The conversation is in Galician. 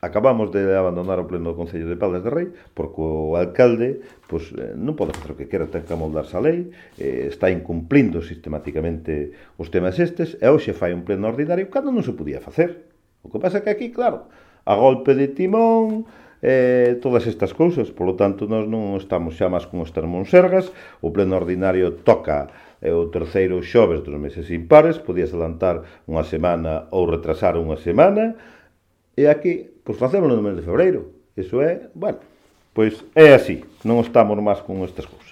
acabamos de abandonar o pleno do Concello de Caldas de Rei porque o alcalde pois, non pode facer o que quera, ten que amoldarse a lei, está incumplindo sistematicamente os temas estes, e hoxe fai un pleno ordinario cando non se podía facer. O que pasa é que aquí, claro, a golpe de timón, todas estas cousas, polo tanto, nós non estamos xa máis con os termonsergas, o pleno ordinario toca o terceiro xoves dos meses impares, podías adelantar unha semana ou retrasar unha semana, e aquí, pois facémoslo no mes de febreiro. Iso é, bueno, pois é así, non estamos máis con estas cousas.